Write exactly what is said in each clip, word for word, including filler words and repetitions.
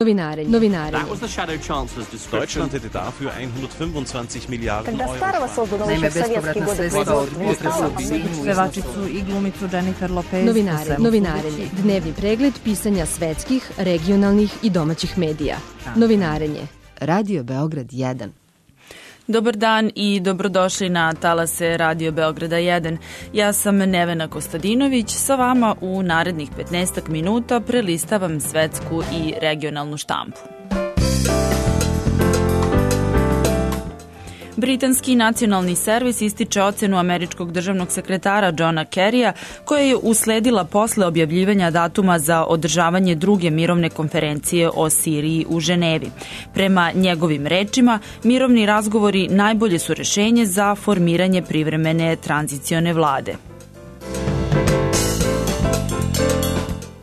Novinarenje. Novinarenje. Deutschland hätte dafür hundertfünfundzwanzig Milijarden Euro. Naime, bespovratna sredstva od pevačicu i glumicu Jennifer Lopez. Novinarenje. Novinarenje. Dnevni pregled pisanja svetskih, regionalnih i domaćih medija. Novinarenje. Radio Beograd jedan. Dobar dan i dobrodošli na talase Radio Beograda jedan. Ja sam Nevena Kostadinović, sa vama u narednih petnaestak minuta prelistavam svetsku i regionalnu štampu. Britanski nacionalni servis ističe ocenu američkog državnog sekretara Johna Kerrya, koja je usledila posle objavljivanja datuma za održavanje druge mirovne konferencije o Siriji u Ženevi. Prema njegovim rečima, mirovni razgovori najbolje su rešenje za formiranje privremene tranzicione vlade.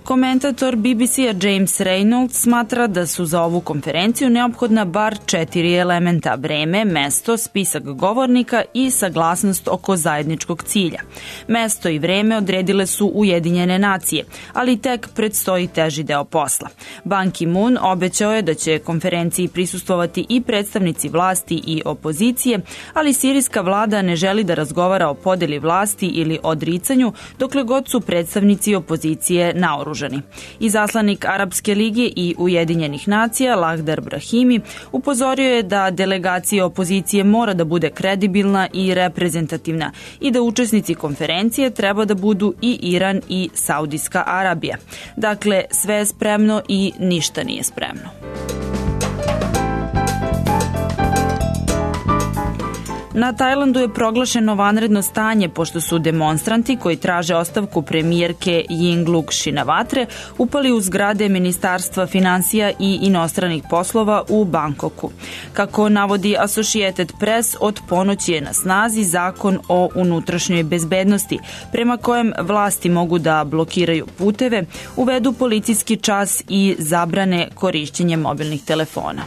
Komentator B B C-a James Reynolds smatra da su za ovu konferenciju neophodna bar četiri elementa: vreme, mesto, spisak govornika i saglasnost oko zajedničkog cilja. Mesto i vreme odredile su Ujedinjene nacije, ali tek predstoji teži deo posla. Ban Ki-moon obećao je da će konferenciji prisustvovati i predstavnici vlasti i opozicije, ali sirijska vlada ne želi da razgovara o podeli vlasti ili odricanju dokle god su predstavnici opozicije naoružani. Izaslanik Arapske lige i Ujedinjenih nacija Lahdar Brahimi upozorio je da delegacija opozicije mora da bude kredibilna i reprezentativna i da učesnici konferencije treba da budu i Iran i Saudijska Arabija. Dakle, sve je spremno i ništa nije spremno. Na Tajlandu je proglašeno vanredno stanje pošto su demonstranti koji traže ostavku premijerke Yingluck Shinawatre upali u zgrade Ministarstva finansija i inostranih poslova u Bangkoku. Kako navodi Associated Press, od ponoći je na snazi zakon o unutrašnjoj bezbednosti, prema kojem vlasti mogu da blokiraju puteve, uvedu policijski čas i zabrane korišćenje mobilnih telefona.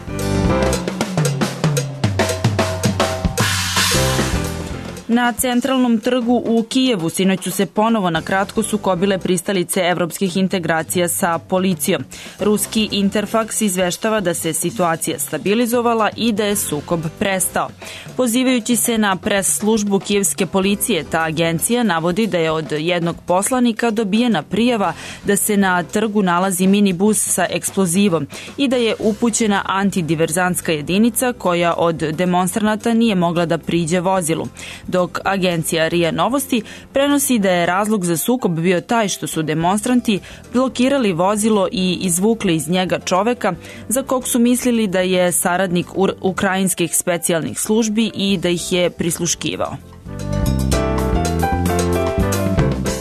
Na centralnom trgu u Kijevu sinoć su se ponovo na kratko sukobile pristalice evropskih integracija sa policijom. Ruski Interfax izveštava da se situacija stabilizovala i da je sukob prestao. Pozivajući se na pres službu kijevske policije, ta agencija navodi da je od jednog poslanika dobijena prijava da se na trgu nalazi minibus sa eksplozivom i da je upućena antidiverzantska jedinica koja od demonstranata nije mogla da priđe vozilu. Dok agencija R I A Novosti prenosi da je razlog za sukob bio taj što su demonstranti blokirali vozilo i izvukli iz njega čoveka za kog su mislili da je saradnik ukrajinskih specijalnih službi i da ih je prisluškivao.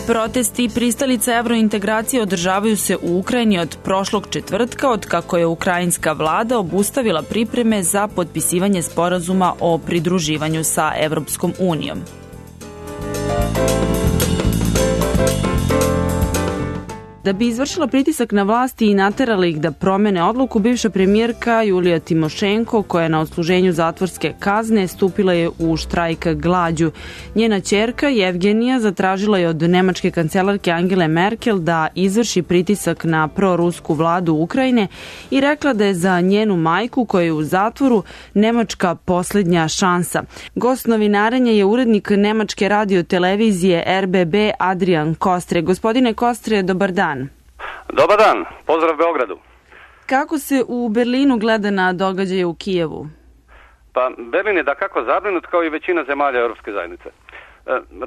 Protesti pristalica evrointegracije održavaju se u Ukrajini od prošlog četvrtka, od kako je ukrajinska vlada obustavila pripreme za potpisivanje sporazuma o pridruživanju sa Evropskom unijom. Da bi izvršila pritisak na vlasti i naterala ih da promene odluku, bivša premijerka Julija Timošenko, koja je na odsluženju zatvorske kazne, stupila je u štrajk glađu. Njena ćerka Jevgenija zatražila je od nemačke kancelarke Angele Merkel da izvrši pritisak na prorusku vladu Ukrajine i rekla da je za njenu majku, koja je u zatvoru, Nemačka posljednja šansa. Gost novinarenja je urednik nemačke radiotelevizije R B B Adrian Kostre. Gospodine Kostre, dobar dan. Dobar dan, pozdrav Beogradu. Kako se u Berlinu gleda na događaje u Kijevu? Pa Berlin je dakako zabrinut kao i većina zemalja Europske zajednice.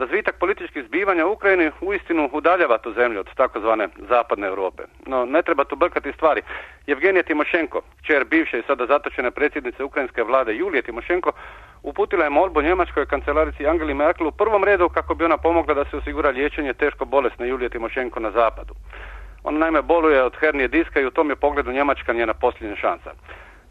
Razvitak političkih zbivanja u Ukrajini uistinu udaljava tu zemlju od takozvane zapadne Europe. No ne treba tu brkati stvari. Jevgenija Timošenko, kćer bivše i sada zatočene predsjednice ukrajinske vlade Julije Timošenko, uputila je molbu njemačkoj kancelarici Angeli Merkel u prvom redu kako bi ona pomogla da se osigura liječenje teško bolesne Julije Timošenko na zapadu. Ona naime boluje od hernije diska i u tom je pogledu Njemačka njena posljednja šansa.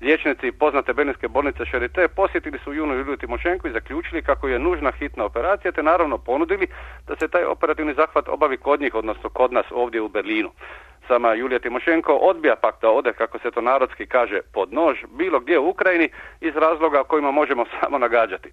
Liječnici poznate berlinske bolnice Charité posjetili su junu Juliju Timošenko i zaključili kako je nužna hitna operacija, te naravno ponudili da se taj operativni zahvat obavi kod njih, odnosno kod nas ovdje u Berlinu. Sama Julija Timošenko odbija pak da ode, kako se to narodski kaže, pod nož bilo gdje u Ukrajini iz razloga o kojima možemo samo nagađati.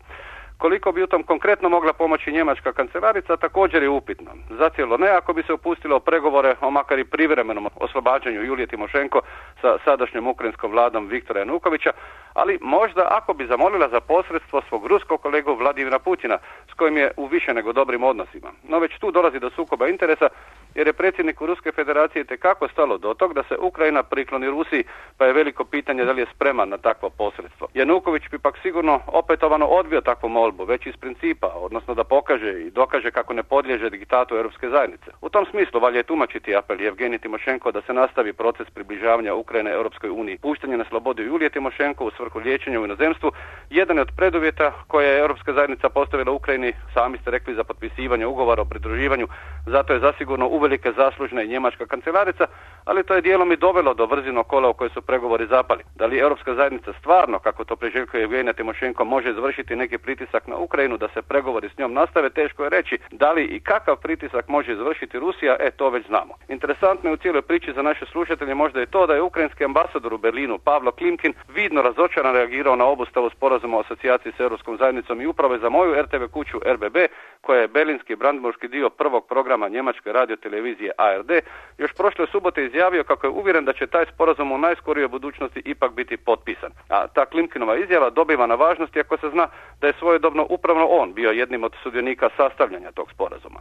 Koliko bi u tom konkretno mogla pomoći njemačka kancelarica također je upitno. Zacijelo ne ako bi se upustilo u pregovore o makar i privremenom oslobađanju Julije Timošenko sa sadašnjom ukrajinskom vladom Viktora Janukovića, ali možda ako bi zamolila za posredstvo svog ruskog kolegu Vladimira Putina, s kojim je u više nego dobrim odnosima. No već tu dolazi do sukoba interesa, jer je predsjedniku Ruske federacije tekako stalo do tog da se Ukrajina prikloni Rusiji, pa je veliko pitanje da li je spreman na takvo posredstvo. Januković bi pak sigurno opetovano odbio takvu molbu, već iz principa, odnosno da pokaže i dokaže kako ne podliježe diktatu Europske zajednice. U tom smislu valja je tumačiti apel Evgeniji Timošenko da se nastavi proces približavanja Ukrajine Europskoj uniji. Puštanje na slobodu Julije Timošenko u svrhu liječenja u inozemstvu jedan je od preduvjeta koje je Europska zajednica postavila Ukrajini, sami ste rekli, za potpisivanje ugovora o pridruživanju, zato je zasigurno uvelike zaslužna i njemačka kancelarica, ali to je dijelom i dovelo do vrzinog kola u koje su pregovori zapali. Da li Europska zajednica stvarno, kako to priželjkuje Evgenija Timošenko, može izvršiti neki pritisak na Ukrajinu da se pregovori s njom nastave, teško je reći. Da li i kakav pritisak može izvršiti Rusija, e to već znamo. Interesantno je u cijeloj priči za naše slušatelje možda je to da je ukrajinski ambasador u Berlinu Pavlo Klimkin vidno razočaran reagirao na obustavu sporazuma o asocijaciji s Europskom zajednicom i upravo je za moju er te ve kuću er be be, koja je berlinski brandenburški dio prvog programa njemačke radiotelevizije a er de, još prošle subote izjavio kako je uvjeren da će taj sporazum u najskorijoj budućnosti ipak biti potpisan. A ta Klimkinova izjava dobiva na važnosti ako se zna da je svojedobno upravo on bio jednim od sudionika sastavljanja tog sporazuma.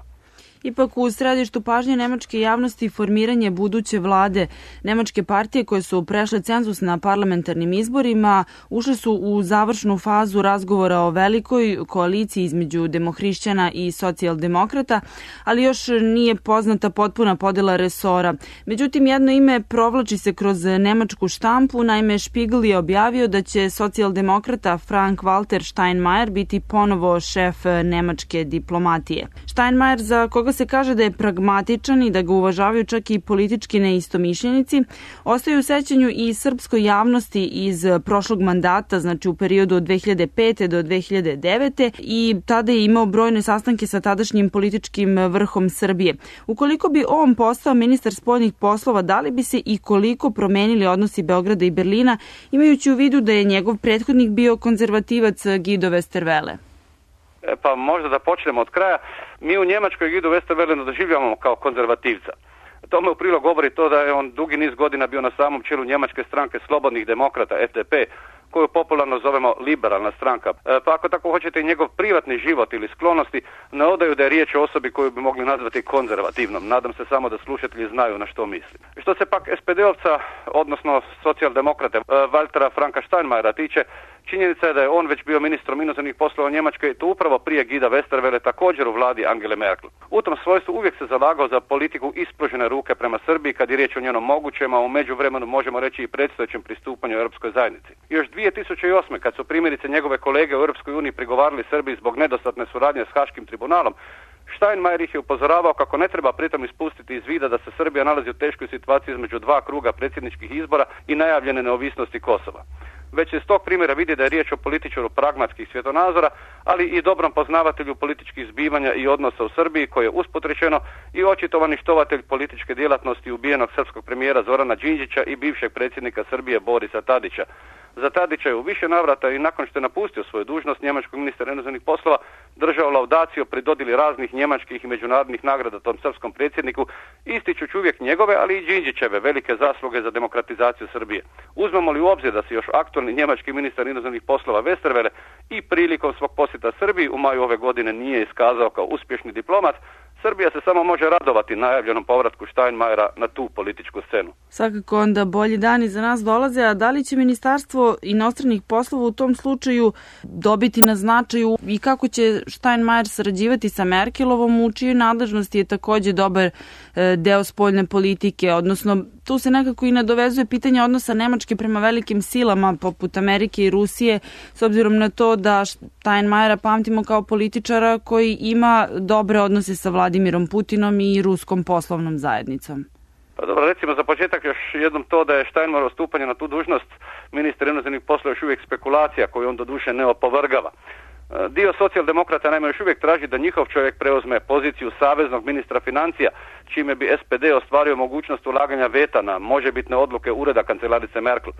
Ipak u središtu pažnje nemačke javnosti formiranje buduće vlade. Nemačke partije koje su prešle cenzus na parlamentarnim izborima ušle su u završnu fazu razgovora o velikoj koaliciji između demohrišćana i socijaldemokrata, ali još nije poznata potpuna podjela resora. Međutim, jedno ime provlači se kroz nemačku štampu, naime Spiegel je objavio da će socijaldemokrata Frank-Walter Steinmeier biti ponovo šef nemačke diplomatije. Steinmeier, za koga se kaže da je pragmatičan i da ga uvažavaju čak i politički neistomišljenici, ostaje u sećanju i srpskoj javnosti iz prošlog mandata, znači u periodu od dve hiljade pete do dve hiljade devete i tada je imao brojne sastanke sa tadašnjim političkim vrhom Srbije. Ukoliko bi on postao ministar spoljnih poslova, da li bi se i koliko promenili odnosi Beograda i Berlina, imajući u vidu da je njegov prethodnik bio konzervativac Guido Westerwelle? E, pa možda da počnemo od kraja. Mi u Njemačkoj Guido Westerwelle doživljavamo kao konzervativca. Tome u prilog govori to da je on dugi niz godina bio na samom čelu njemačke stranke Slobodnih demokrata, ef de pe, koju popularno zovemo liberalna stranka. E, pa ako tako hoćete i njegov privatni život ili sklonosti ne odaju da je riječ o osobi koju bi mogli nazvati konzervativnom. Nadam se samo da slušatelji znaju na što misli. Što se pak es pe de-ovca, odnosno socijaldemokrate Waltera Franka Steinmeiera tiče, činjenica je da je on već bio ministrom inozemnih poslova Njemačke, to upravo prije Guida Westerwelle, također u vladi Angele Merkel. U tom svojstvu uvijek se zalagao za politiku ispružene ruke prema Srbiji kad je riječ o njenom mogućem, a u međuvremenu možemo reći i predstojećem pristupanju Europskoj zajednici. Još dvije tisuće osme. kad su primjerice njegove kolege u Europskoj uniji prigovarali Srbiji zbog nedostatne suradnje s Haškim tribunalom, Steinmeier ih je upozoravao kako ne treba pritom ispustiti iz vida da se Srbija nalazi u teškoj situaciji između dva kruga predsjedničkih izbora i najavljene neovisnosti Kosova. Već se iz tog primjera vidi da je riječ o političaru pragmatskih svjetonazora, ali i dobrom poznavatelju političkih zbivanja i odnosa u Srbiji, koji je usput rečeno i očitovani štovatelj političke djelatnosti ubijenog srpskog premijera Zorana Đinđića i bivšeg predsjednika Srbije Borisa Tadića. Za Tadića je u više navrata i nakon što je napustio svoju dužnost njemačkog ministra inozemnih poslova držao laudaciju pri dodjeli raznih njemačkih i međunarodnih nagrada tom srpskom predsjedniku, ističući uvijek njegove, ali i Đinđićeve velike zasluge za demokratizaciju Srbije. Uzmemo li u obzir da se još aktualni njemački ministar inozemnih poslova Westerwelle i prilikom svog posjeta Srbiji u maju ove godine nije iskazao kao uspješni diplomat, Srbija se samo može radovati najavljenom povratku Steinmeiera na tu političku scenu. Svakako onda bolji dani za nas dolaze, a da li će Ministarstvo inostranih poslova u tom slučaju dobiti na značaju i kako će Steinmeier sarađivati sa Merkelovom, u čijoj nadležnosti je također dobar deo spoljne politike, odnosno tu se nekako i nadovezuje pitanje odnosa Nemačke prema velikim silama poput Amerike i Rusije, s obzirom na to da Steinmeiera pamtimo kao političara koji ima dobre odnose sa Vladimirom Putinom i ruskom poslovnom zajednicom. Pa dobro, recimo za početak još jednom to da je Steinmeierovo stupanje na tu dužnost ministra inozemnih poslova još uvijek spekulacija koju on doduše ne opovrgava. Dio socijaldemokrata naime još uvijek traži da njihov čovjek preuzme poziciju saveznog ministra financija, čime bi es pe de ostvario mogućnost ulaganja veta na možebitne odluke ureda kancelarice Merkel.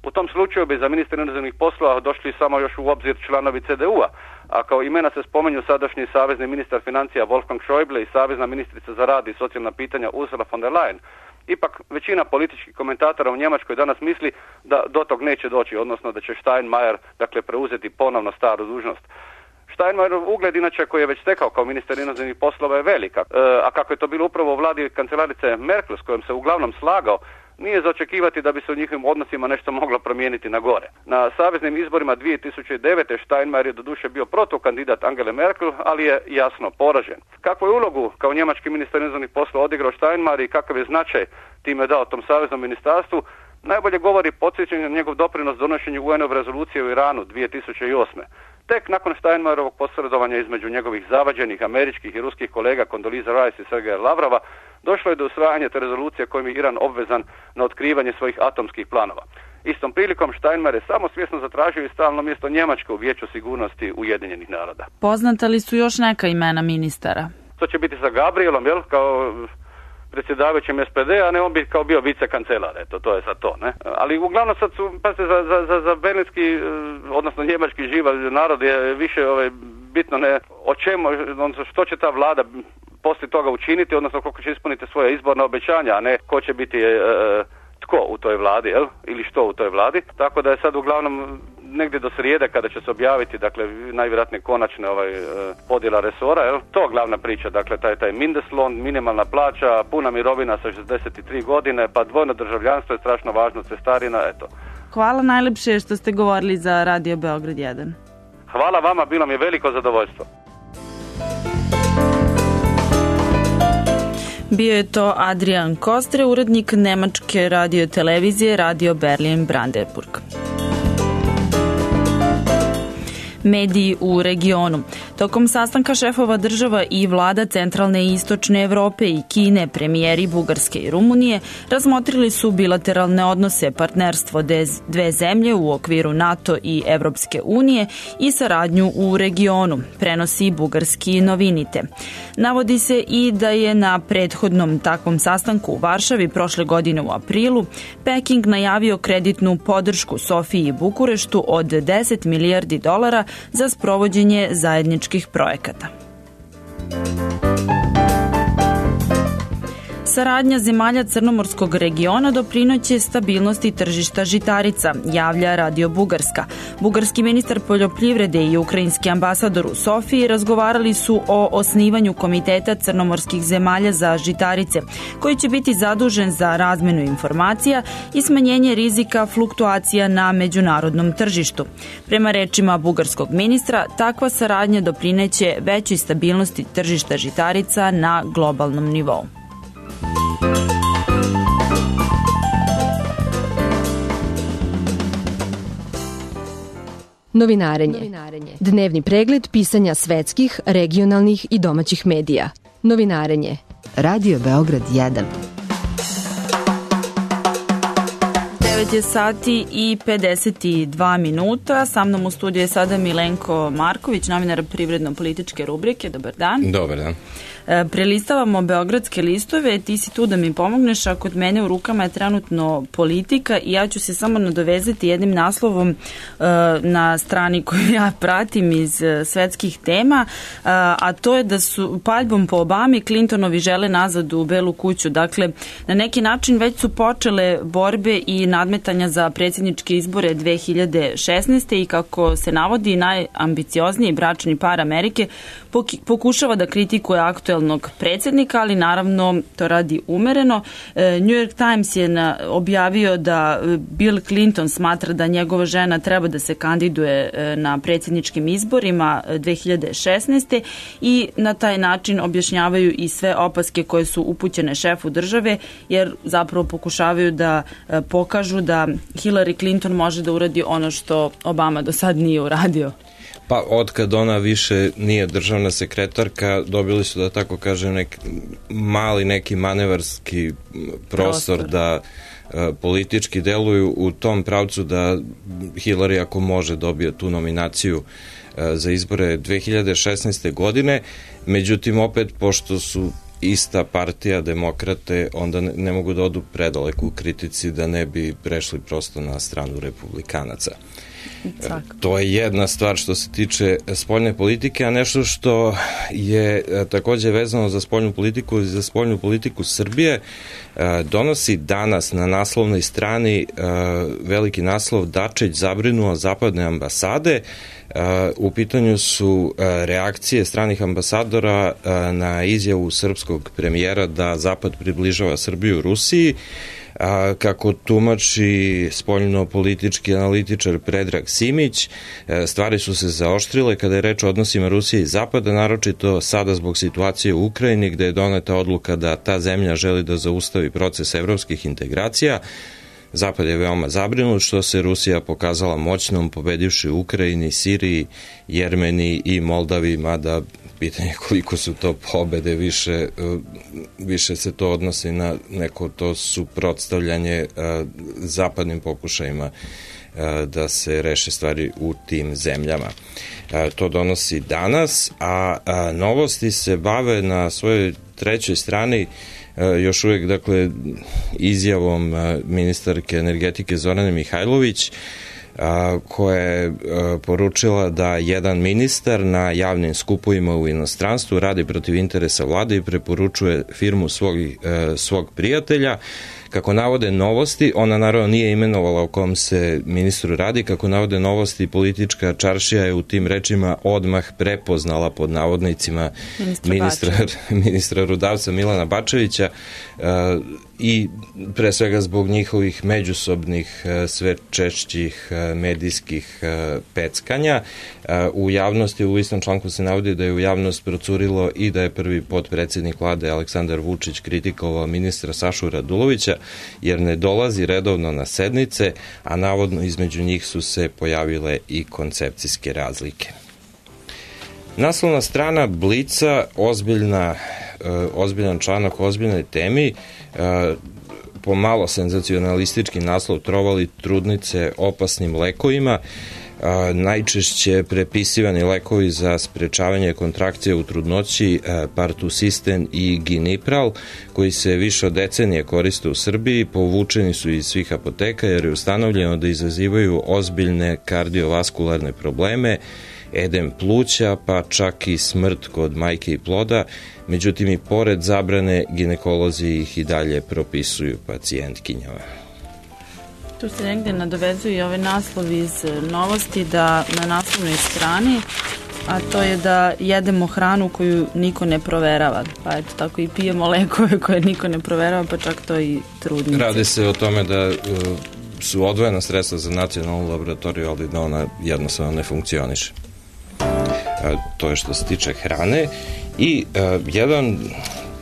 U tom slučaju bi za ministra inozemnih poslova došli samo još u obzir članovi ce de u-a, a kao imena se spomenju sadašnji savezni ministar financija Wolfgang Schäuble i savezna ministrica za rad i socijalna pitanja Ursula von der Leyen. Ipak većina političkih komentatora u Njemačkoj danas misli da do tog neće doći, odnosno da će Steinmeier dakle preuzeti ponovno staru dužnost. Steinmeierov ugled, inače, koji je već stekao kao ministar inozemnih poslova, je velika, e, a kako je to bilo upravo u vladi kancelarice Merkel, s kojom se uglavnom slagao, nije za očekivati da bi se u njihovim odnosima nešto moglo promijeniti na gore. Na saveznim izborima dvije tisuće devete. Steinmeier je doduše bio protukandidat Angele Merkel, ali je jasno poražen. Kakvu je ulogu kao njemački ministar inozemnih poslova odigrao Steinmeier i kakav je značaj time dao tom saveznom ministarstvu, najbolje govori podsjećanje na njegov doprinos donošenju U N-ove rezolucije u Iranu dvije tisuće osme. Tek nakon Steinmeierovog posredovanja između njegovih zavađenih američkih i ruskih kolega Condoleezza Rice i Sergeja Lavrova došlo je do usvajanja te rezolucije kojim je Iran obvezan na otkrivanje svojih atomskih planova. Istom prilikom Steinmeier je samo svjesno zatražio i stalno mjesto Njemačke u Vijeću sigurnosti Ujedinjenih naroda. Poznata li su još neka imena ministara? To će biti sa Gabrielom, jel, kao predsjedavajućem S P D, a ne on bi kao bio vicekancelar, eto, to je sad to, ne? Ali uglavnom sad su, pazite, za, za, za, za berlinski, odnosno njemački živa narod je više ovaj, bitno ne o čemu, odnosno što će ta vlada poslije toga učiniti, odnosno koliko će ispuniti svoje izborna obećanja, a ne ko će biti e, e, tko u toj vladi, jel? Ili što u toj vladi. Tako da je sad uglavnom negdje do srijede kada će se objaviti, dakle, najvjerojatnije konačne ovaj, podjela resora, jel? To je glavna priča, dakle, taj, taj Mindestlohn, minimalna plaća, puna mirovina sa šezdeset tri godine, pa dvojno državljanstvo je strašno važno, cestarina, eto. Hvala najlepše što ste govorili za Radio Beograd jedan. Hvala vama, bilo mi je veliko zadovoljstvo. Bio je to Adrian Kostre, urednik nemačke radio televizije Radio Berlin Brandenburg. Mediji u regionu. Tokom sastanka šefova država i vlada centralne i istočne Evrope i Kine, premijeri Bugarske i Rumunije razmotrili su bilateralne odnose, partnerstvo dve zemlje u okviru NATO i Evropske unije i saradnju u regionu, prenosi bugarski Novinite. Navodi se i da je na prethodnom takvom sastanku u Varšavi prošle godine u aprilu Peking najavio kreditnu podršku Sofiji i Bukureštu od deset milijardi dolara za sprovođenje zajedničkih projekata. Saradnja zemalja Crnomorskog regiona doprinoće stabilnosti tržišta žitarica, javlja Radio Bugarska. Bugarski ministar poljoprivrede i ukrajinski ambasador u Sofiji razgovarali su o osnivanju Komiteta crnomorskih zemalja za žitarice, koji će biti zadužen za razmenu informacija i smanjenje rizika fluktuacija na međunarodnom tržištu. Prema rečima bugarskog ministra, takva saradnja doprineće većoj stabilnosti tržišta žitarica na globalnom nivou. Novinarenje. Dnevni pregled pisanja svetskih, regionalnih i domaćih medija. Novinarenje. Radio Beograd jedan. devet je sati i pedeset dva minuta. Sa mnom u studiju je sada Milenko Marković, novinar privredno-političke rubrike. Dobar dan. Dobar dan. Prelistavamo beogradske listove, ti si tu da mi pomogneš, a kod mene u rukama je trenutno Politika i ja ću se samo nadovezati jednim naslovom na strani koju ja pratim iz svetskih tema, a to je da su paljbom po Obami Clintonovi žele nazad u Belu kuću. Dakle, na neki način već su počele borbe i nadmetanja za predsjedničke izbore dve hiljade šesnaeste. i kako se navodi, najambiciozniji bračni par Amerike pokušava da kritikuje aktuelnog predsjednika, ali naravno to radi umereno. New York Times je na, objavio da Bill Clinton smatra da njegova žena treba da se kandiduje na predsjedničkim izborima dve hiljade šesnaeste. i na taj način objašnjavaju i sve opaske koje su upućene šefu države, jer zapravo pokušavaju da pokažu da Hillary Clinton može da uradi ono što Obama do sad nije uradio. Pa otkad ona više nije državna sekretarka, dobili su, da tako kažem, nek, mali neki manevarski prostor, prostor. da e, politički deluju u tom pravcu da Hillary, ako može, dobije tu nominaciju e, za izbore dve hiljade šesnaeste. godine. Međutim, opet, pošto su ista partija, demokrate, onda ne, ne mogu da odu predaleko u kritici da ne bi prešli prosto na stranu republikanaca. To je jedna stvar što se tiče spoljne politike, a nešto što je takođe vezano za spoljnu politiku i za spoljnu politiku Srbije donosi danas na naslovnoj strani veliki naslov Dačić zabrinuo zapadne ambasade. U pitanju su reakcije stranih ambasadora na izjavu srpskog premijera da Zapad približava Srbiju Rusiji. A, kako tumači spoljno-politički analitičar Predrag Simić, stvari su se zaoštrile kada je reč o odnosima Rusije i Zapada, naročito sada zbog situacije u Ukrajini, gde je doneta odluka da ta zemlja želi da zaustavi proces evropskih integracija. Zapad je veoma zabrinut što se Rusija pokazala moćnom, pobedivši u Ukrajini, Siriji, Jermeniji i Moldavi, mada pitanje koliko su to pobede, više, više se to odnosi na neko to suprotstavljanje zapadnim pokušajima da se reše stvari u tim zemljama. To donosi danas, a novosti se bave na svojoj trećoj strani još uvek, dakle, izjavom ministarke energetike Zorane Mihajlović, koja je poručila da jedan ministar na javnim skupovima u inostranstvu radi protiv interesa vlade i preporučuje firmu svog, svog prijatelja. Kako navode novosti, ona naravno nije imenovala o kom se ministru radi, kako navode novosti, politička čaršija je u tim rečima odmah prepoznala pod navodnicima ministra, ministra Rudavca Milana Bačevića i pre svega zbog njihovih međusobnih sve češćih medijskih peckanja. U javnosti, u istom članku se navodi da je u javnost procurilo i da je prvi potpredsednik vlade Aleksandar Vučić kritikovao ministra Sašu Radulovića jer ne dolazi redovno na sednice, a navodno između njih su se pojavile i koncepcijske razlike. Naslovna strana Blica, ozbiljna, ozbiljan članak o ozbiljnoj temi, pomalo senzacionalistički naslov Trovali trudnice opasnim lekovima. Najčešće prepisivani lekovi za sprečavanje kontrakcije u trudnoći, Partusisten i Ginipral, koji se više od decenije koriste u Srbiji, povučeni su iz svih apoteka jer je ustanovljeno da izazivaju ozbiljne kardiovaskularne probleme, edem pluća, pa čak i smrt kod majke i ploda. Međutim, i pored zabrane, ginekolozi ih i dalje propisuju pacijentkinjama. Tu se negde nadovezuju i ovaj naslov iz novosti da na naslovnoj strani, a to je da jedemo hranu koju niko ne proverava. Pa eto, tako i pijemo lekove koje niko ne proverava, pa čak to i trudnice. Radi se o tome da su odvojena sredstva za nacionalnu laboratoriju, ali da ona jednostavno ne funkcioniše. To je što se tiče hrane. I jedan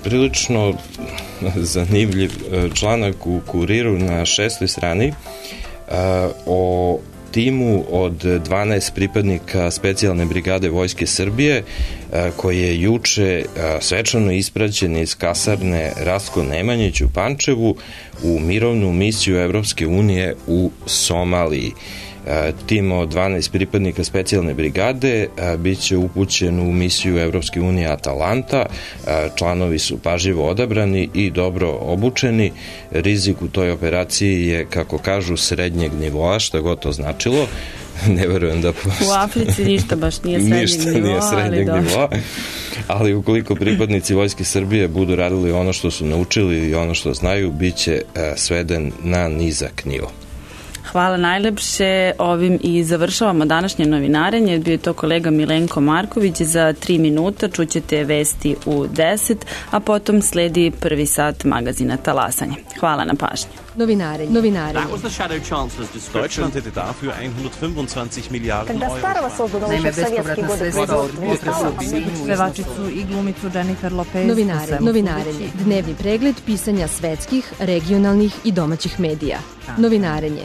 prilično zanimljiv članak u Kuriru na šestoj strani o timu od dvanaest pripadnika specijalne brigade Vojske Srbije koji je juče svečano ispraćen iz kasarne Rastko Nemanjić u Pančevu u mirovnu misiju Evropske unije u Somaliji. Tim od dvanaest pripadnika specijalne brigade bit će upućen u misiju Evropske unije Atalanta. Članovi su pažljivo odabrani i dobro obučeni. Rizik u toj operaciji je, kako kažu, srednjeg nivoa, šta god to značilo. Ne verujem da... U Africi ništa baš nije srednjeg ništa nivoa, nije srednjeg ali nivoa. Ali ukoliko pripadnici Vojske Srbije budu radili ono što su naučili i ono što znaju, bit će sveden na nizak nivo. Hvala najlepše. Ovim i završavamo današnje novinarenje. Bio je to kolega Milenko Marković. Za tri minuta čućete vesti u deset, a potom sledi prvi sat magazina Talasanje. Hvala na pažnji. Novinarenje. Novinarenje. That was the shadow chancellor's description. Deutschland hätte dafür hundertfünfundzwanzig Milliarden Euro. Naime, bespovratna sredstva od pevačicu i glumicu Jennifer Lopez. Novinarenje. Novinarenje. Dnevni pregled pisanja svetskih, regionalnih i domaćih medija. Novinarenje.